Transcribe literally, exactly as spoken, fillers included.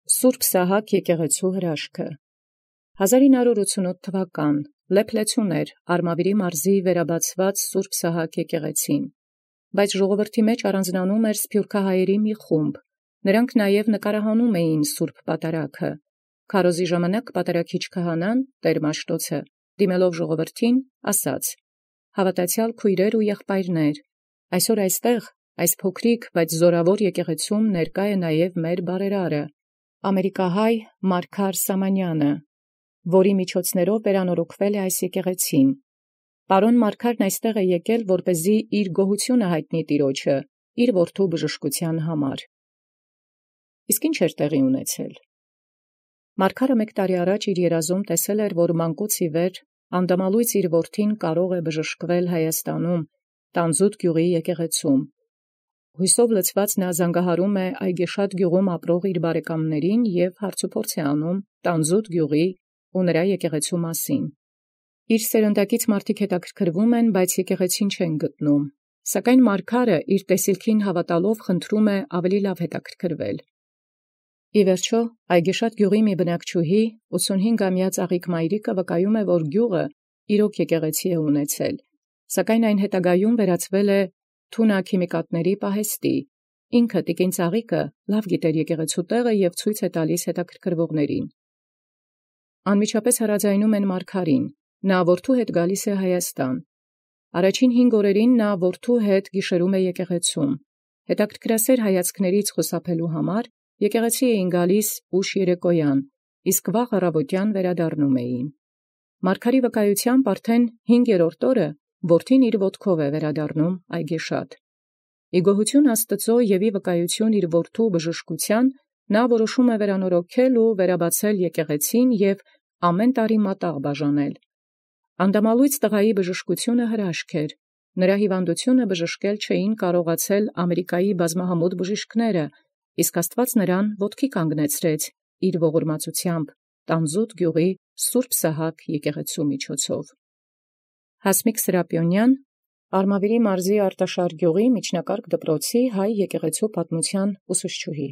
Սուրբ Սահակ եկեղեցու հրաշքը հազար ինը հարյուր ութսունութ թվական լեփլեցուն էր Արմավիրի մարզի վերաբացված Սուրբ Սահակ եկեղեցին, բայց ժողովրդի մեջ առանձնանում էր սփյուռքահայերի մի խումբ, նրանք նաև նկարահանում էին Սուրբ Պատարագը, քարոզի ժամանակ պատարագիչ քահանան տեր Մաշտոցը, դիմելով ժողովրդին, ասաց. «Հավատացյալ քույրեր ու եղբայրներ, այսօր այստեղ, այս փոքրիկ, բայց զորավոր եկեղեցում ներկա է նաև մեր բարերարը, ամերիկահայ Մարգար Սամանյանը, որի միջոցներով վերանորոգվել է այս եկեղեցին։ Պարոն Մարգարն այստեղ է եկել, որպեսզի իր գոհությունը հայտնի Տիրոջը, իր որդու բժշկության համար»։ Իսկ ինչ էր տեղի ունեցել։ Մարգարը մեկ տարի առաջ իր երազում տեսել էր, որ մանկուց ի վեր անդամալույս իր որդին կարող է բժշկվել Հայաստանում, Տանձուտ գյուղի եկեղեցում։ Հույսով լցված նա զանգահարում է Այգեշատ գյուղում ապրող իր բարեկամներին և հարցուփորձ է անում Տանձուտ գյուղի ու նրա եկեղեցու մասին։ Իր սերնդակից մարդիկ հետաքրքրվում են, բայց եկեղեցին չեն գտնում, սակայն Մարգարը իր տեսիլքին հավատալով խնդրում է ավելի լավ հետաքրքրվել։ Ի վերջո, Այգեշատ գյուղի մի բնակչուհի, ութսունհինգամյա Ծաղիկ Մայրիկը վկայում է, որ գյուղը իրոք եկեղեցի է ունեցել, սակայն այն հետագայում վերածվել է թունաքիմիկատների պահեստի։ Ինքը տիկին Ծաղիկը լավ գիտեր եկեղեցու տեղը և ցույց է տալիս հետաքրքրվողներին։ Անմիջապես հրաձայնում են Մարգարին, նա որդու հետ գալիս է Հայաստան։ Առաջին հինգ օրերին նա որդու հետ գիշերում է եկեղեցում։ Հետաքրքրասեր հայացքներից խուսափելու համար եկեղեցի էին գալիս ուշ երեկոյան, իսկ վաղ առավոտյան վերադառնում էին։ Մարգարի վկայությամբ արդեն հինգերորդ օրը որդին իր ոտքով է վերադառնում Այգեշատ։ Ի գոհություն Աստուծո և ի վկայություն իր որդու բժշկության նա որոշում է վերանորոգել ու վերաբացել եկեղեցին և ամեն տարի մատաղ բաժանել։ Անդամալույս տղայի բժշկությունը հրաշք էր, նրա հիվանդությունը բժշկել չէին կարողացել Ամերիկայի բազմահամուտ բժիշկները, իսկ Աստուած նրան ոտքի կանգնեցրեց իր ողորմածությամբ Տանձուտ գյուղի Սուրբ Սահակ եկեղեցու միջոցով։ Հասմիկ Սրապիոնյան, Արմավիրի մարզի Արտաշար գյուղի միջնակարգ դպրոցի հայ եկեղեցու պատմության ուսուցչուհի։